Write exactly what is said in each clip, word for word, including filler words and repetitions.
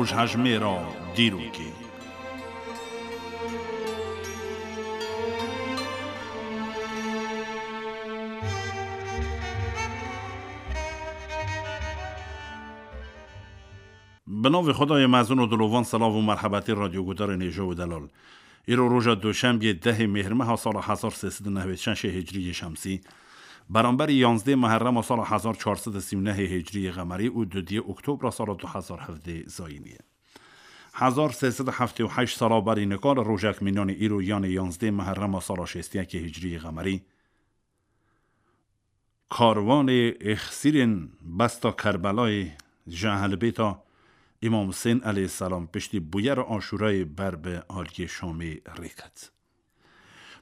Rojhejmêra dîrokê. Bi navê Xwedayê mezin û dilovan, selav û merhebetî radyogudarên hêja û delal. Îro roja doşembiyê dehê Mêhrmeha sala hezar sê sed û nehwêd şeşê hicriyê şemsî, beramberî yanzdê Meherrema sala hezar çar sed û sî û nehê hicriyê qemerî û dudiyê Oktobra sala du hezar hevdê zayînî ye. Hezar sê sed û heftê û heşt sala berî nika li rojek mînanê îro, yanê yanzdê Meherrema sala şêst û yekê hicriyê qemerî, karwanê êxsîrên besta Kerbelayê ji ehlbêta Îmam Husên eleyhîsselam piştî bûyera Aşûrayê ber bi aliyê Şamê rê ket.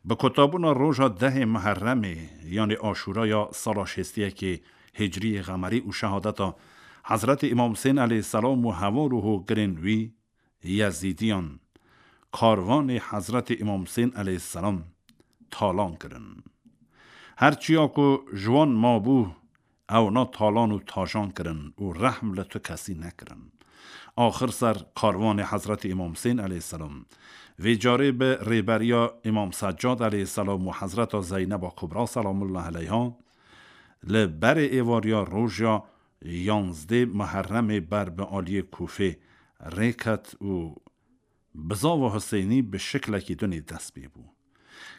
Bi kotabûna roja dehê Meherremê, yanê Aşûraya sala şêst û yekê Hicriyê Qemerî û şehadeta Hezretî Îmam Husên eleyhîsselam û heval û hogirên wî, Yezîdiyan, karwanê Hezretî Îmam Husên eleyhîsselam talan kirin. Her çiya ku ji wan mabû, ewna talan û tajan kirin û rehm li tu kesî nekirin. Axir ser karwanê Hezretî Îmam Husên eleyhîsselam, vê carê bi rêberiya Îmam Seccad eleyhîsselam û Hezreta Zeyneba Kubra selamullahi eleyha, li berê êvariya roja yanzdê Meherremê ber bi aliyê Kûfê rê ket û bizava Huseynî bi şiklekî dinê dest pê bû.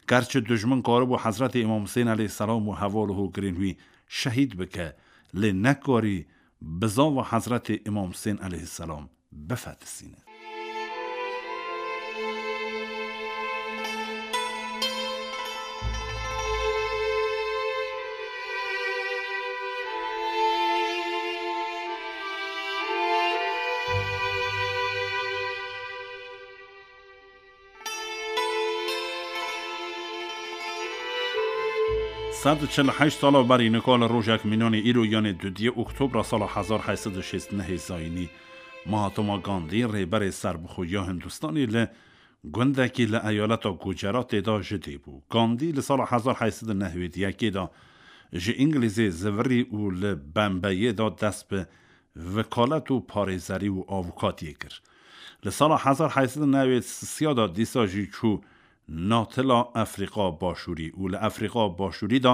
Gerçi dijmin karibû Hezretê Îmam Husên eleyhîsselam û heval û hogirên wî şehîd bike, lê nekarî bizava Hezretê Îmam Husên eleyhîsselam bifetisîne. Sed û çil û heşt sala berî nika li rojek mînanê îro, yanê dudiyê Oktobra sala hezar heyt sed û şêst û nehê zayînî, Mahatma Gandhi, rêberê serbixwe ya Hindistanê, li gundekî li eyaleta Guceratê de ji dê bû. Gandhi li sala hezar heyt sed û nehwêd û yekê de ji Îngilîzê zivirî û li Bembeyê de dest bi vekalet û parêzerî û avûkatiyê kir. Li sala hezar heyt sed û newêd sisiya de dîsa jî çû Natila Efrîqa Başûrî û li Efrîqa Başûrî de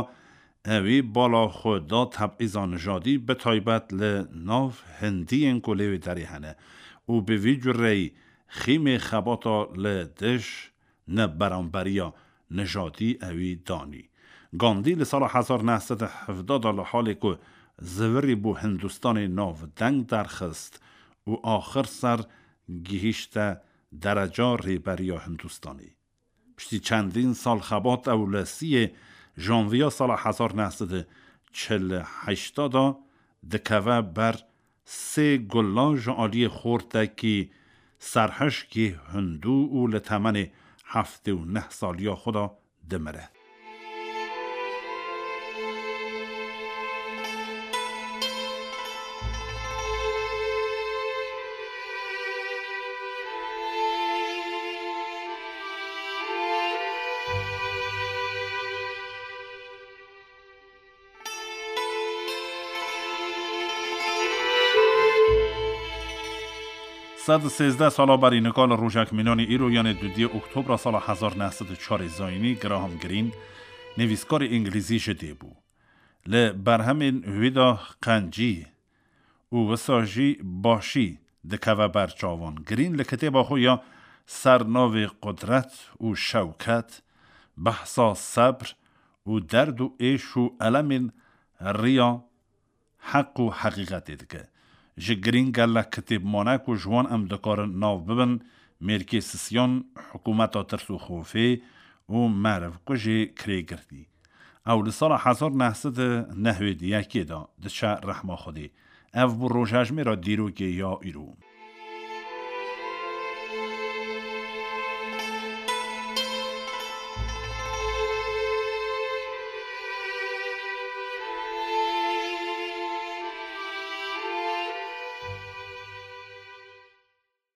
ewî bala xwe da tebîza nijadî, bi taybet li nav Hindiyên ku lê wê derê hene û bi vî cureyî xîmê xebata li dij neberamberiya nijadî ewî danî. Gandî li sala hezar neh sed û hevdeh de li halê ku zivirî bû Hindistanê navdeng derxist û axir ser gihîşte dereca rêberiya Hindistanê. Piştî çendîn sal xebat ew li siyê janviya sala hezar neh sed û çil û heşt de dikeve ber sê gulan ji aliyê xortekî serhişkî hindû û li temenê heftê û neh saliya xwe de dimire. Sed û sêzdeh sala berî nika li rojek mînanê îro, yanê dudiyê Oktobra sala hezar neh sed û çarê zayînî, Graham Greene, nivîskarê îngilîzî ji dê bû. Li berhemên wî de qencî û wisa jî başî dikeve ber çavan. Greene li kitêba xwe ya ser navê Qudret û Şewket behsa sebr û derd û êş û elemên riya heq û heqîqetê dike. Ji Greene gelek kitêb mane ku ji wan em dikarin nav bibin, Mêrkê Sisiyan, Hikûmeta Tirs û Xofê û Merivkujê Kirêgirtî. Ew li sala hezar neh sed û nehwêd û yekê de diçe rehma Xwedê. Ev bû rojhejmêra dîrokê ya îro.